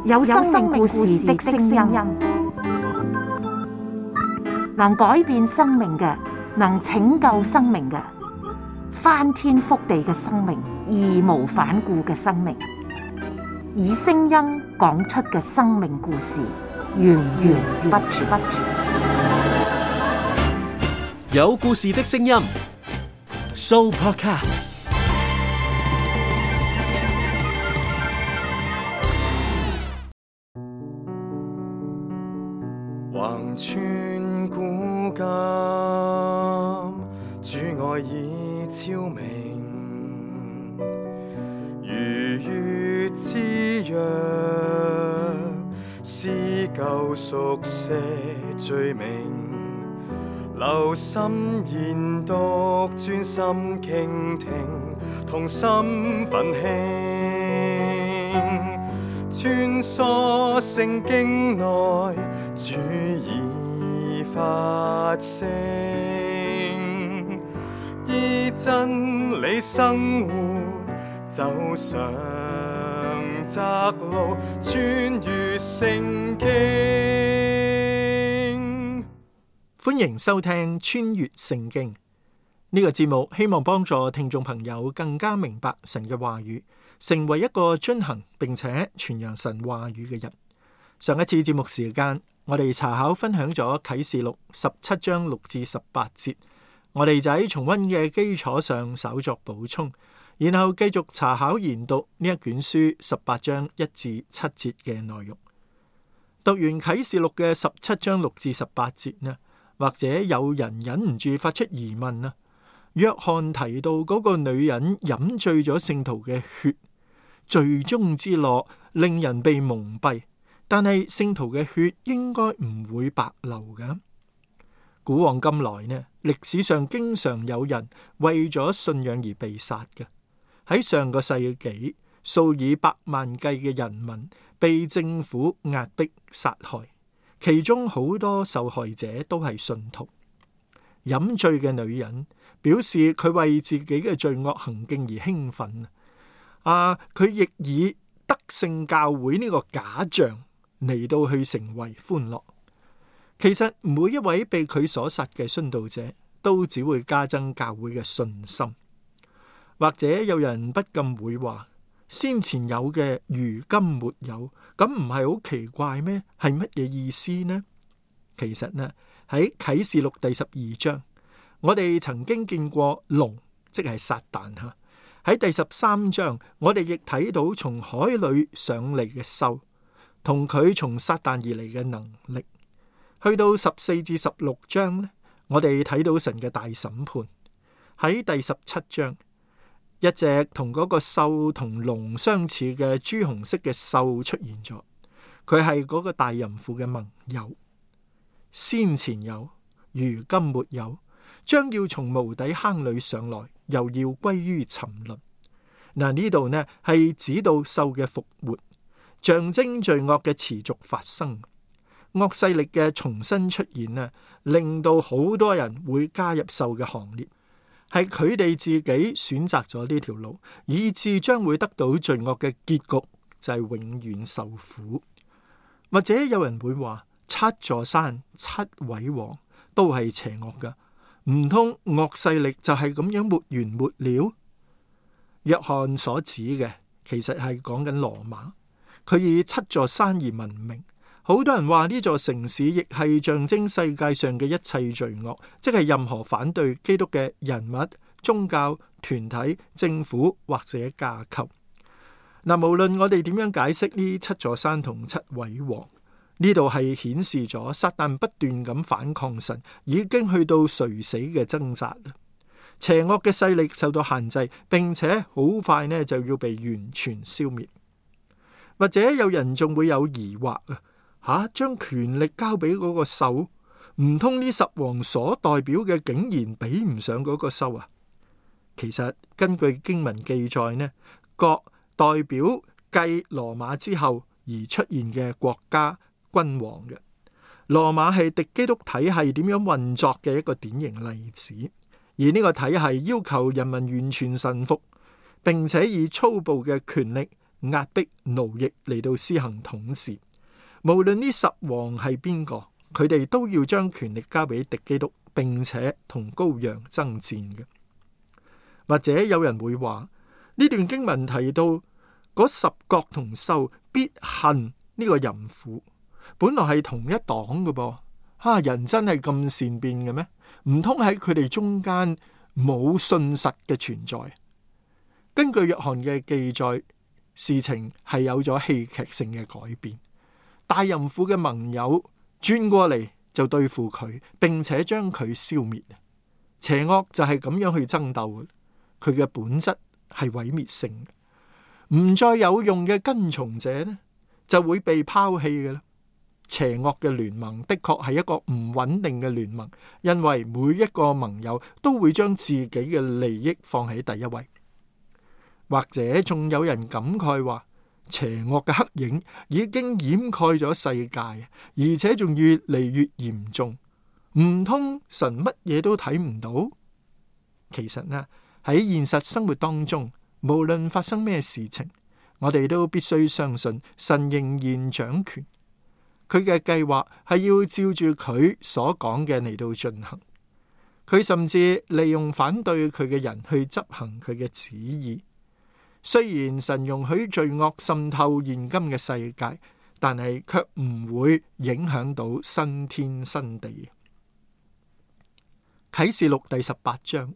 有生命故事的聲音，能改變生命嘅，能拯救生命嘅，翻天覆地嘅生命，義無反顧嘅生命，以聲音講出嘅生命故事，源源不絕。有故事的聲音 ，Sooopodcast。橫穿古今，主愛已超明，如月之約，撕舊熟寫罪名，留心研讀，專心傾聽，同心奮興，穿梭聖經內，主已發聲，依真理生活，走上窄路，穿越聖經。歡迎收聽穿越聖經呢個節目，希望幫助聽眾朋友更加明白神嘅話語，成為一個遵行並且傳揚神話語嘅人。上一次節目時間，我哋查考分享咗啟示錄17章6至18節，我哋就喺重溫嘅基礎上稍作補充，然後繼續查考研讀呢一卷書18章1至7節嘅內容。讀完啟示錄嘅17章6至18節呢，或者有人忍唔住發出疑問啊，約翰提到嗰個女人飲醉咗聖徒嘅血，罪中之樂令人被蒙蔽，但係聖徒嘅血應該唔會白流㗎。古往今來呢，歷史上經常有人為咗信仰而被殺嘅。喺上個世紀，數以百萬計嘅人民被政府壓迫殺害，其中好多受害者都係信徒。飲醉嘅女人表示佢為自己嘅罪惡行徑而興奮。佢亦以得勝教會呢個假象嚟到去成為歡樂。其實每一位被佢所殺嘅殉道者都只會加增教會嘅信心。或者有人不禁會話，先前有嘅如今沒有，咁唔係好奇怪咩？係乜嘢意思呢？其實呢，喺啟示錄第12章，我哋曾經見過龍，即係撒旦吓。喺第13章，我哋亦睇到從海裏上嚟嘅獸，同佢從撒旦而嚟嘅能力。去到14至16章呢，我哋睇到神嘅大審判。喺第17章，一隻同嗰個獸同龍相似嘅朱紅色嘅獸出現咗，佢係嗰個大淫婦嘅盟友。先前有，如今沒有，將要從無底坑裏上來，又要歸於沉淪。嗱，呢度呢係指到獸嘅復活，象徵罪惡嘅持續發生，惡勢力嘅重新出現呢，令到好多人會加入獸嘅行列。係佢哋自己選擇咗呢條路，以致將會得到罪惡嘅結局，就係永遠受苦。或者有人會話，7座山、7位王都係邪惡噶，唔通惡勢力就係咁樣沒完沒了？約翰所指嘅其實係講緊羅馬，佢以7座山而聞名。好多人話呢座城市亦係象徵世界上嘅一切罪惡，即係任何反對基督嘅人物、宗教、團體、政府或者架構。嗱，無論我哋點樣解釋呢7座山同7位王，呢度係顯示咗撒旦不斷咁反抗神，已經去到垂死嘅掙扎。邪惡嘅勢力受到限制，並且好快呢就要被完全消滅。或者有人仲會有疑惑將權力交俾嗰個獸，唔通呢10王所代表嘅竟然比唔上嗰個獸啊？其實根據經文記載呢，各代表繼羅馬之後而出現嘅國家君王嘅。羅馬係敵基督體系點樣運作嘅一個典型例子，而呢個體系要求人民完全臣服，並且以粗暴嘅權力壓迫、奴役嚟到施行統治。無論呢10王係邊個，佢哋都要將權力交俾敵基督，並且同羔羊爭戰嘅。或者有人會話，呢段經文提到嗰10國同獸必恨呢個淫婦，本來係同一黨嘅噃。人真係咁善變嘅咩？唔通喺佢哋中間冇信實嘅存在？根據約翰嘅記載，事情係有咗戲劇性嘅改變。大淫婦嘅盟友轉過嚟就對付佢，並且將佢消滅。邪惡就係咁樣去爭鬥，佢嘅本質係毀滅性嘅。唔再有用嘅跟從者呢，就會被拋棄嘅啦。邪惡嘅聯盟的確係一個唔穩定嘅聯盟，因為每一個盟友都會將自己嘅利益放喺第一位。或者仲有人感慨話，邪惡嘅黑影已經掩蓋咗世界，而且仲越嚟越嚴重。唔通神乜嘢都睇唔到？其實呢，喺現實生活當中，無論發生咩事情，我哋都必須相信神仍然掌權。佢嘅計劃係要照住佢所講嘅嚟到進行。佢甚至利用反對佢嘅人去執行佢嘅旨意。雖然神容許罪惡滲透現今嘅世界，但係卻唔會影響到新天新地。啟示錄第18章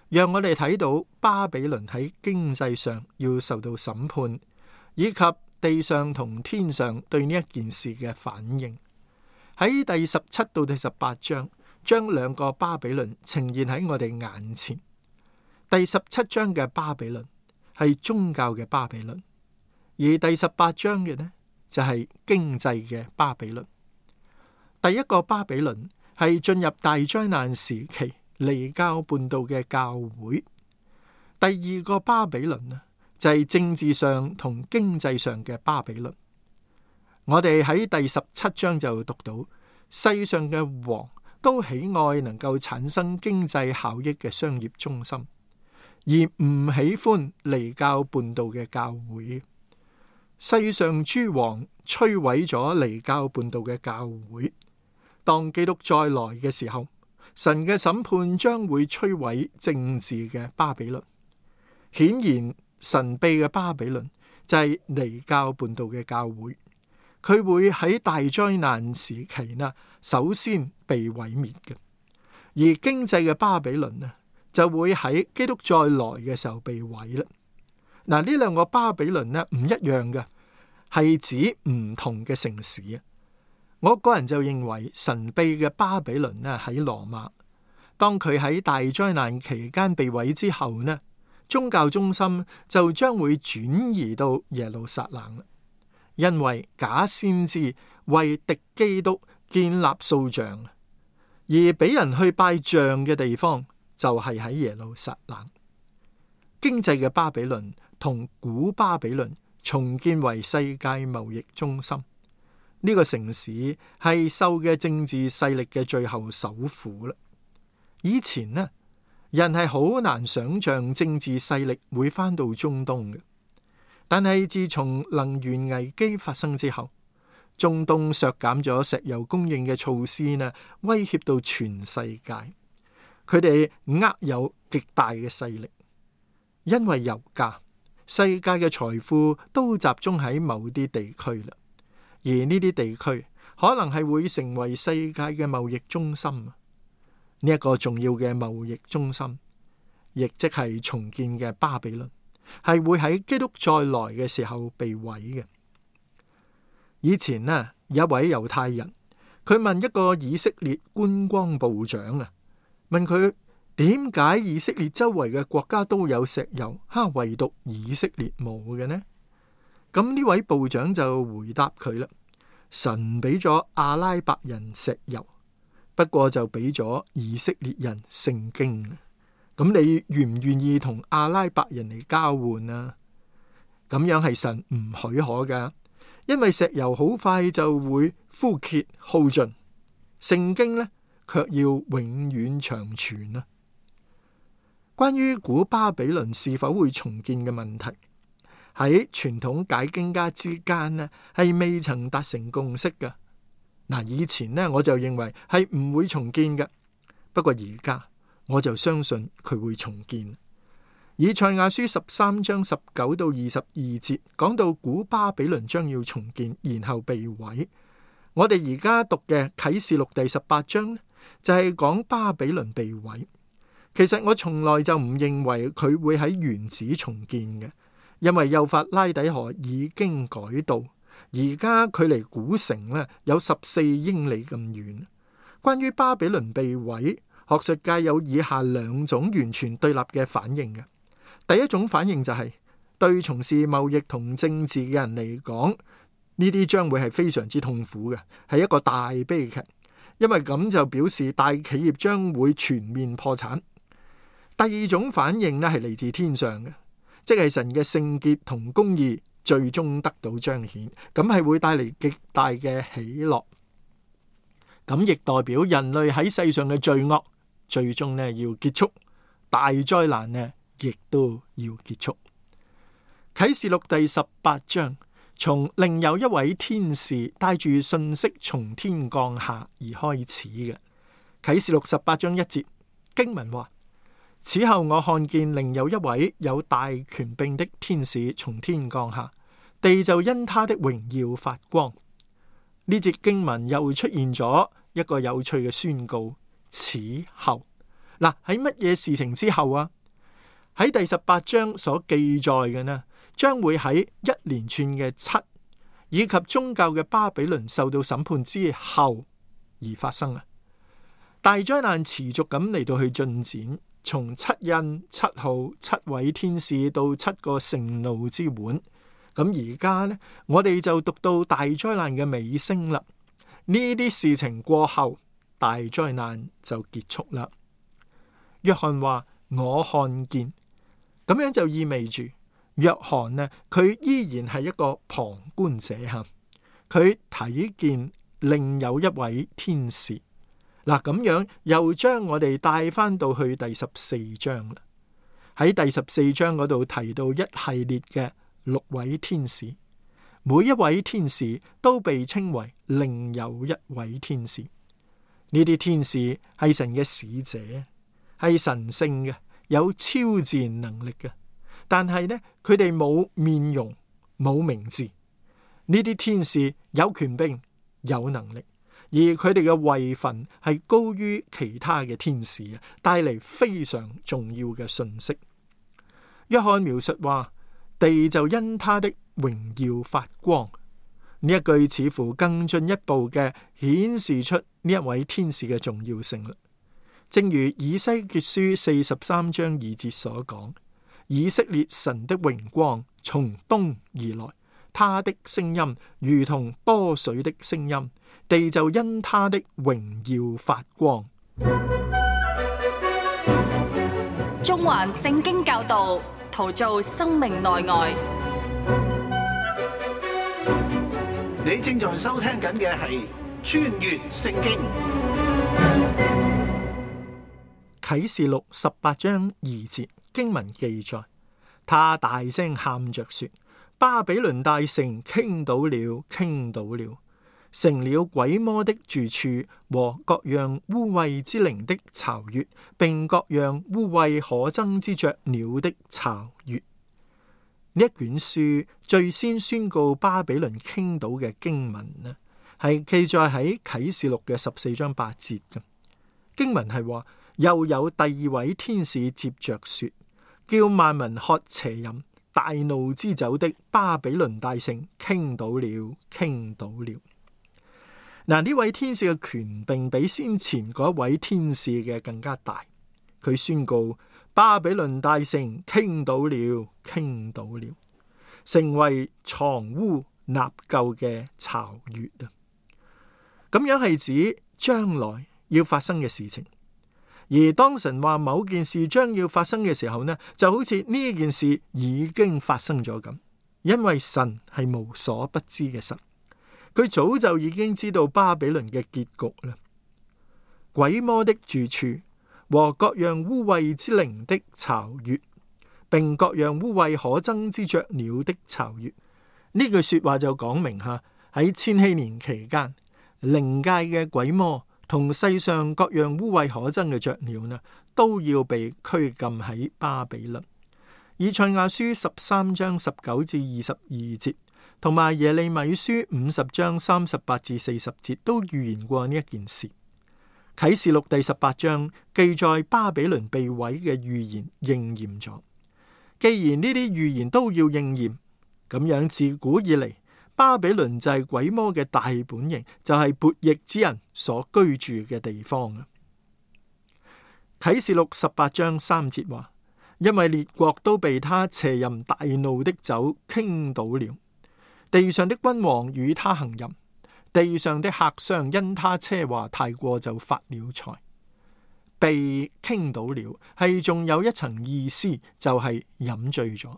讓我哋睇到巴比倫喺經濟上要受到審判，以及地上同天上對呢一件事嘅反應。喺第17到第18章，將兩個巴比倫呈現喺我哋眼前。第17章嘅巴比倫係宗教嘅巴比倫，而第18章嘅呢就係經濟嘅巴比倫。第一個巴比倫係進入大災難時期離教叛道嘅教會。第二個巴比倫呢就係政治上同經濟上嘅巴比倫。我哋喺第17章就讀到，世上嘅王都喜愛能夠產生經濟效益嘅商業中心，而唔喜歡離教叛道嘅教會。世上諸王摧毀咗離教叛道嘅教會。當基督再來嘅時候，神嘅審判將會摧毀政治嘅巴比倫。顯然神秘嘅巴比倫就係離教叛道嘅教會，佢會喺大災難時期呢首先被毀滅嘅。而經濟嘅巴比倫呢就會喺基督再來嘅時候被毀啦。嗱，呢兩個巴比倫呢唔一樣嘅，係指唔同嘅城市啊。我個人就認為神秘嘅巴比倫呢喺羅馬，當佢喺大災難期間被毀之後呢，宗教中心就將會轉移到耶路撒冷，因為假先知為敵基督建立塑像，而俾人去拜像嘅地方就係喺耶路撒冷。經濟嘅巴比倫同古巴比倫重建為世界貿易中心，呢個城市係獸嘅政治勢力嘅最後首府啦。以前呢，人係好難想象政治勢力會返到中東嘅，但係自從能源危機發生之後，中東削減咗石油供應嘅措施呢，威脅到全世界。佢哋握有極大嘅勢力，因為油價，世界嘅財富都集中喺某啲地區啦。而呢啲地區可能係會成為世界嘅貿易中心。呢一個重要嘅貿易中心，亦即係重建嘅巴比倫，係會喺基督再來嘅時候被毀嘅。以前呢，有一位猶太人，佢問一個以色列觀光部長啊，問佢點解以色列周圍嘅國家都有石油，唯獨以色列冇嘅呢？咁呢位部長就回答佢啦，神俾咗阿拉伯人石油，不過就俾咗以色列人聖經。咁你願唔願意同阿拉伯人嚟交換啊？咁樣係神唔許可噶，因為石油好快就會枯竭耗盡，聖經呢卻要永遠長存啊。關於古巴比倫是否會重建嘅問題，喺傳統解經家之間呢，係未曾達成共識嘅。嗱，以前呢，我就認為係唔會重建嘅，不過而家我就相信佢會重建。以賽亞書13章19到22節講到古巴比倫將要重建，然後被毀。我哋而家讀嘅啟示錄第18章就係講巴比倫被毀。其實我從來就唔認為佢會喺原址重建嘅，因為幼發拉底河已經改道，而家距離古城呢有14英里咁遠。關於巴比倫被毀，學術界有以下兩種完全對立嘅反應嘅。第一種反應就係對從事貿易同政治嘅人嚟講，呢啲將會係非常之痛苦嘅，係一個大悲劇，因為咁就表示大企業將會全面破產。第二種反應呢係嚟自天上嘅，即係神嘅聖潔同公義最終得到彰顯，咁係會帶嚟極大嘅喜樂。咁亦代表人類喺世上嘅罪惡最終呢要結束，大災難呢亦都要結束。啟示錄第18章從另有一位天使帶住信息從天降下而開始嘅。啟示錄18章1節經文話：此後我看見另有一位有大權柄的天使從天降下，地就因他的榮耀發光。呢節經文又出現咗一個有趣嘅宣告：此後。嗱，喺乜嘢事情之後啊？喺第18章所記載嘅呢，將會喺一連串嘅7以及宗教嘅巴比倫受到審判之後而發生啊！大災難持續咁嚟到去進展，從7印、7號、7位天使到7個盛怒之碗。咁而家呢，我哋就讀到大災難嘅尾聲啦。呢啲事情過後，大災難就結束啦。約翰話：我看見。咁樣就意味住約翰呢，佢依然係一個旁觀者吓，佢睇見另有一位天使。嗱，咁樣又將我哋帶翻到去第14章啦。喺第14章嗰度提到一系列嘅6位天使，每一位天使都被稱為另有一位天使。呢啲天使係神嘅使者，係神聖嘅，有超自然能力嘅，但係呢，佢哋冇面容，冇名字。呢啲天使有權柄，有能力，而佢哋嘅位份係高於其他嘅天使啊，帶嚟非常重要嘅信息。約翰描述話：地就因他的榮耀發光。呢一句似乎更進一步嘅顯示出呢一位天使嘅重要性啦。正如以西結書43章2節所講：以色列神的榮光從東而來，他的聲音如同多水的聲音，地就因他的榮耀發光。中環聖經教導，陶造生命內外。你正在收聽緊嘅係穿越聖經。啟示錄18章2節經文記載，他大聲喊着說：巴比倫大城傾倒了，傾倒了，成了鬼魔的住處和各樣污穢之靈的巢穴，並各樣污穢可憎之雀鳥的巢穴。呢一卷書最先宣告巴比倫傾倒嘅經文呢，係記載喺啟示錄嘅14章8節嘅經文係話。又有第二位天使接着說：叫萬民喝邪淫大怒之酒的巴比倫大城傾倒了，傾倒了。嗱，呢位天使嘅權柄比先前嗰位天使嘅更加大。佢宣告巴比倫大城傾倒了，傾倒了，成為藏污納垢嘅巢穴啊！咁樣係指將來要發生嘅事情。而當神話某件事將要發生嘅時候呢，就好似呢件事已經發生咗咁，因為神係無所不知嘅神，佢早就已經知道巴比倫嘅結局啦。鬼魔的住處和各樣污穢之靈的巢穴，並各樣污穢可憎之雀鳥的巢穴。呢句說話就講明喺千禧年期間，靈界嘅鬼魔同世上各樣污穢可憎嘅雀鳥呢，都要被拘禁喺巴比倫。以賽亞書13章19至22節，同埋耶利米書50章38至40節都預言過呢一件事。啟示錄第18章記載巴比倫被毀嘅預言應驗咗。既然呢啲預言都要應驗，咁樣自古以嚟，巴比倫就係鬼魔嘅大本營，就係悖逆之人所居住嘅地方啊。啟示錄18章3節話：因為列國都被他邪淫大怒的酒傾倒了，地上的君王與他行淫，地上的客商因他奢華太過就發了財。被傾倒了係仲有一層意思，就係飲醉咗。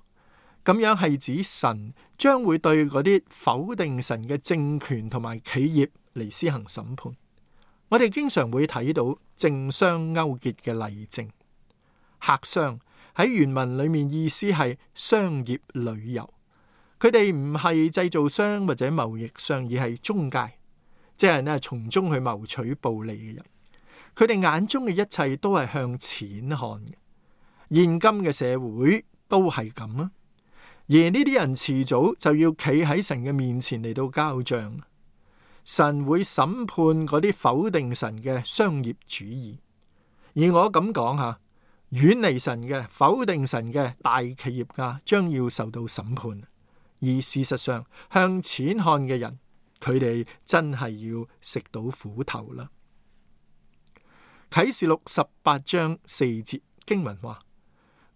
咁樣係指神將會對嗰啲否定神嘅政權同埋企業嚟施行審判。我哋經常會睇到政商勾結嘅例證。客商喺原文裏面意思係商業旅遊，佢哋唔係製造商或者貿易商，而係中介，即係呢從中去謀取暴利嘅人。佢哋眼中嘅一切都係向錢看嘅。現今嘅社會都係咁啊，而呢啲人遲早就要企喺神嘅面前嚟到交賬。神會審判嗰啲否定神嘅商業主義。而我咁講下，遠離神嘅、否定神嘅大企業家將要受到審判。而事實上，向錢看嘅人，佢哋真係要食到苦頭啦。啟示錄18章4節經文話：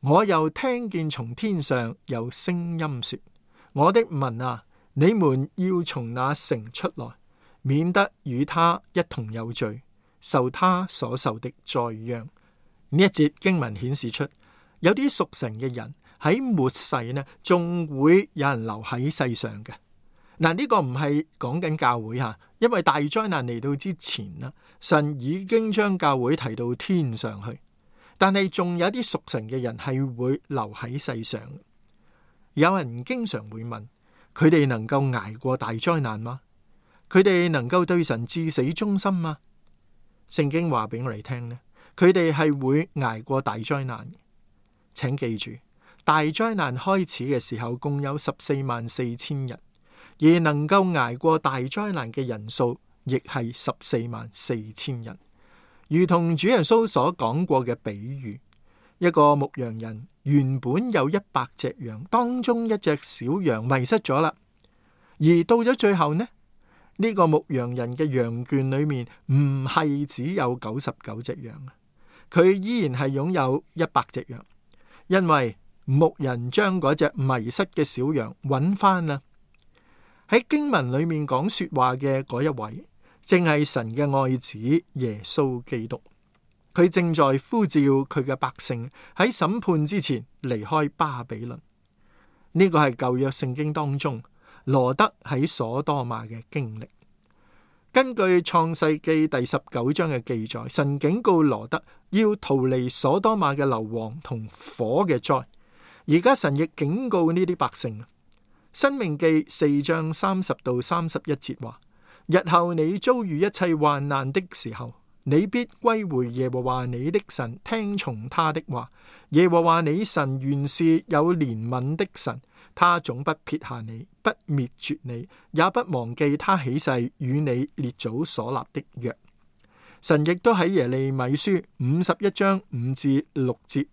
我又聽見從天上有聲音說，我的民啊，你們要從那城出來，免得與他一同有罪，受他所受的災殃。呢一節經文顯示出，有啲屬神嘅人喺末世呢，仲會有人留喺世上嘅。嗱，呢個唔係講緊教會吓，因為大災難嚟到之前啦，神已經將教會提到天上去，但係仲有啲屬神嘅人係會留喺世上。有人經常會問，佢哋能夠捱過大災難嗎？佢哋能夠對神至死忠心嗎？聖經話俾我哋聽呢，佢哋係會捱過大災難。請記住，大災難開始嘅時候共有144000人。而能夠捱過大災難嘅人數，亦係144000人。如同主耶穌所講過嘅比喻，一個牧羊人原本有100隻羊，當中一隻小羊迷失咗啦。而到咗最後呢，呢個牧羊人嘅羊圈裏面唔係只有99隻羊，佢依然係擁有100隻羊，因為牧人將嗰隻迷失嘅小羊揾翻啦。喺經文裏面講說話嘅嗰一位，正係神嘅愛子耶穌基督。佢正在呼召佢嘅百姓喺審判之前離開巴比倫。呢個係舊約聖經當中羅得喺所多瑪嘅經歷。根據創世記第19章嘅記載，神警告羅得要逃離所多瑪嘅硫磺同火嘅災。而家神亦警告呢啲百姓。申命記4章30到31節話：日後你遭遇一切患難的時候，你必歸回耶和華你的神，聽從他的話。耶和華你神原是有憐憫的神，他總不撇下你，不滅絕你，也不忘記他起誓與你列祖所立的約。神亦都喺耶利米書51章5至6節、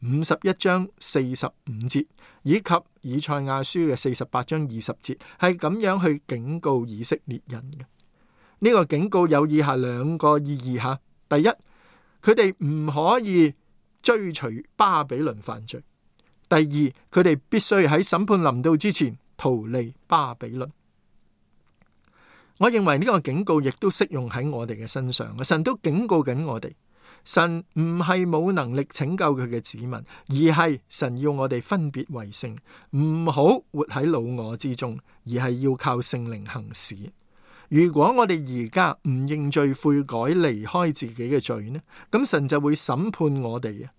51章45節以及以賽亞書嘅48章20節，係咁樣去警告以色列人嘅。呢個警告有以下兩個意義吓：第一，佢哋唔可以追隨巴比倫犯罪；第二，佢哋必須喺審判臨到之前逃離巴比倫。我認為呢個警告亦都適用喺我哋嘅身上，神都警告緊我哋。神唔係冇能力拯救佢嘅子民，而係神要我哋分別為聖，唔好活喺老我之中，而係要靠聖靈行事。如果我哋而家唔認罪悔改，離開自己嘅罪呢，咁神就會審判我哋啊！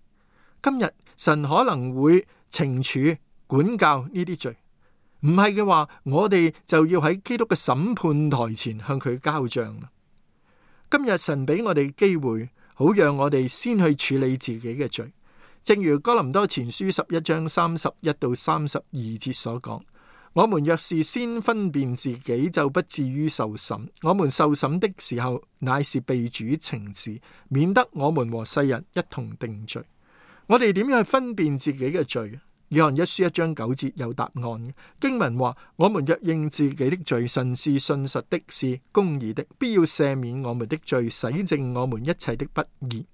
今日神可能會懲處、管教呢啲罪。唔係嘅話，我哋就要喺基督嘅審判台前向佢交賬啦。今日神俾我哋機會，好讓我哋先去處理自己嘅罪。正如哥林多前書11章31到32節所講，我們若是先分辨自己，就不至於受審。我們受審的時候，乃是被主懲治，免得我們和世人一同定罪。我哋點樣去分辨自己嘅罪？約翰一書1章9節有答案。經文話：我們若認自己的罪，神是信實的，是公義的，必要赦免我們的罪，洗淨我們一切的不義。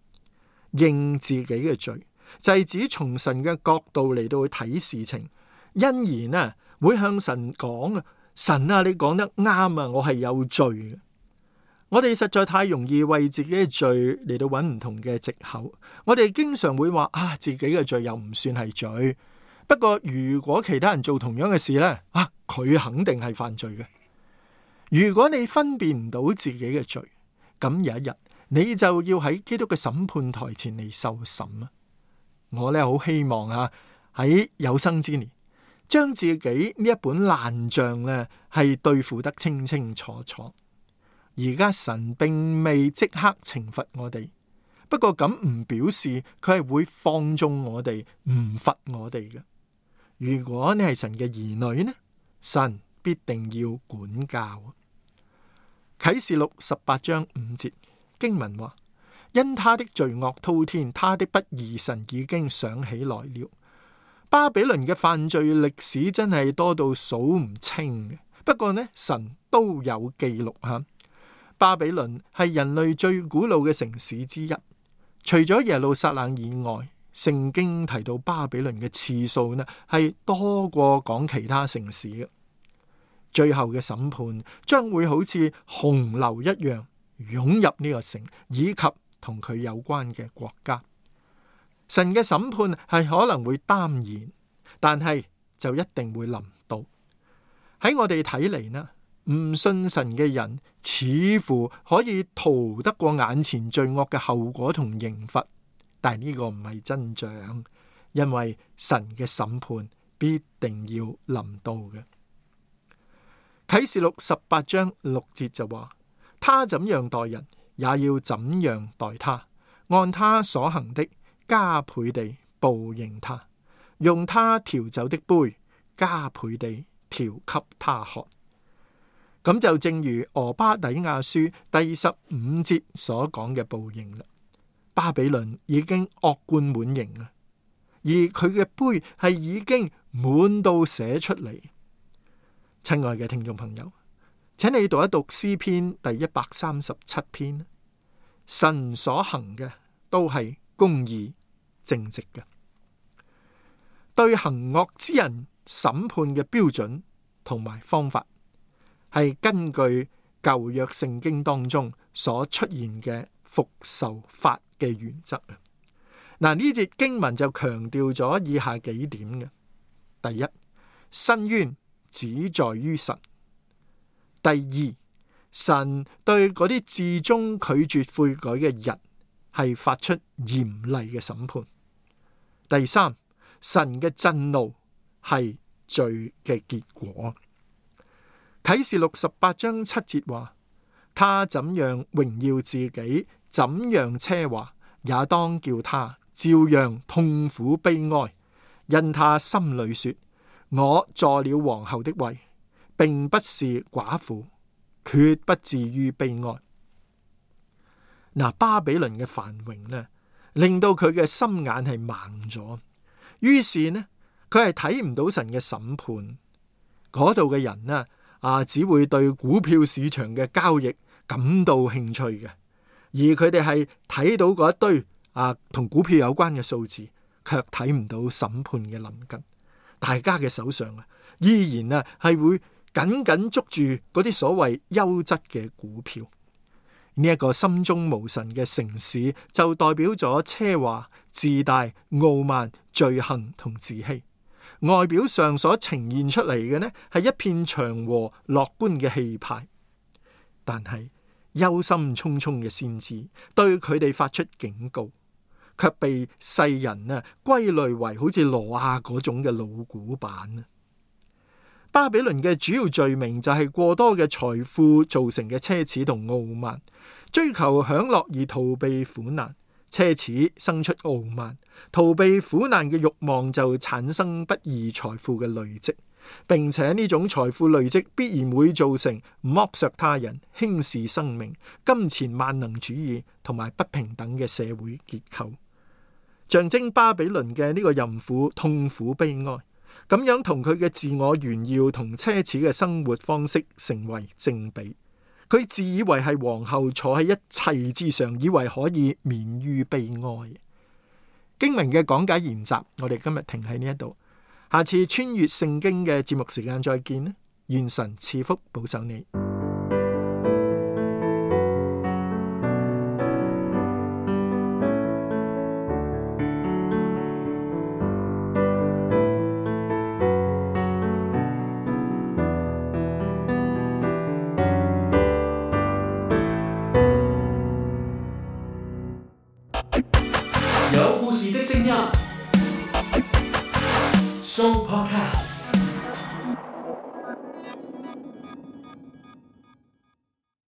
認自己嘅罪就係指從神嘅角度嚟到去睇事情，因而呢會向神講啊，神啊，你講得啱啊，我係有罪嘅。我哋實在太容易為自己嘅罪嚟到揾唔同嘅藉口。我哋經常會話啊，自己嘅罪又唔算係罪。不過如果其他人做同樣嘅事呢，佢肯定係犯罪嘅。如果你分辨唔到自己嘅罪，咁有一日你就要喺基督嘅審判台前嚟受審啊！我呢好希望喺有生之年，將自己呢一本爛賬呢係對付得清清楚楚。而家神並未即刻懲罰我哋，不過咁唔表示佢係會放縱我哋，唔罰我哋嘅。如果你係神嘅兒女呢，神必定要管教。啟示錄18章5節經文話：因他的罪惡滔天，他的不義神已經想起來了。巴比倫嘅犯罪歷史真係多到數唔清嘅，不過呢，神都有記錄吓。巴比倫係人類最古老嘅城市之一，除咗耶路撒冷以外，聖經提到巴比倫嘅次數呢係多過講其他城市嘅。最後嘅審判將會好似洪流一樣湧入呢個城，以及同佢有關嘅國家。神嘅審判係可能會耽延，但係就一定會臨到。喺我哋睇嚟呢，唔信神嘅人似乎可以逃得過眼前罪惡嘅後果同刑罰，但係呢個唔係真相，因為神嘅審判必定要臨到嘅。啟示錄18章6節就話：他怎樣待人，也要怎樣待他，按他所行的加倍地報應他，用他調酒的杯加倍地調給他喝。咁就正如俄巴底亞書第15節所講嘅報應啦。巴比倫已經惡貫滿盈啊，而佢嘅杯係已經滿到寫出嚟。親愛嘅聽眾朋友，請你讀一讀詩篇第137篇。神所行嘅都係公義正直嘅，對行惡之人審判嘅標準同埋方法，係根據舊約聖經當中所出現嘅復仇法嘅原則啊。嗱，呢節經文就強調咗以下幾點嘅：第一，申冤只在於神；第二，神對嗰啲至終拒絕悔改嘅人係發出嚴厲嘅審判；第三，神嘅震怒係罪嘅結果。啟示錄18章7節話：他怎樣榮耀自己，怎樣奢華，也當叫他照樣痛苦悲哀，因他心裏說：我坐了皇后的位，並不是寡婦，決不至於悲哀。嗱，巴比倫嘅繁榮呢，令到佢嘅心眼係盲咗，於是呢，佢係睇唔到神嘅審判。嗰度嘅人呢，只會對股票市場嘅交易感到興趣嘅，而佢哋係睇到嗰一堆同股票有關嘅數字，卻睇唔到審判嘅臨近。大家嘅手上依然係會緊緊捉住嗰啲所謂優質嘅股票。呢一個心中無神嘅城市，就代表咗奢華、自大、傲慢、罪行同自欺。外表上所呈現出嚟嘅呢，係一片祥和樂觀嘅氣派，但係憂心忡忡嘅先知對佢哋發出警告，卻被世人歸類為好似挪亞嗰種嘅老古板。巴比倫嘅主要罪名就係過多嘅財富造成嘅奢侈同傲慢，追求享樂而逃避苦難。奢侈生出傲慢，逃避苦難嘅慾望就產生不義財富嘅累積，並且呢種財富累積必然會造成剝削他人、輕視生命、金錢萬能主義同埋不平等嘅社會結構。象徵巴比倫嘅呢個淫婦痛苦悲哀，咁樣同佢嘅自我炫耀同奢侈嘅生活方式成為正比。佢自以為係皇后，坐喺一切之上，以為可以免於悲哀。經文嘅講解研習，我哋今日停喺呢一度，下次穿越聖經嘅節目時間再見啦！願神賜福保守你。有故事的聲音，Show Podcast。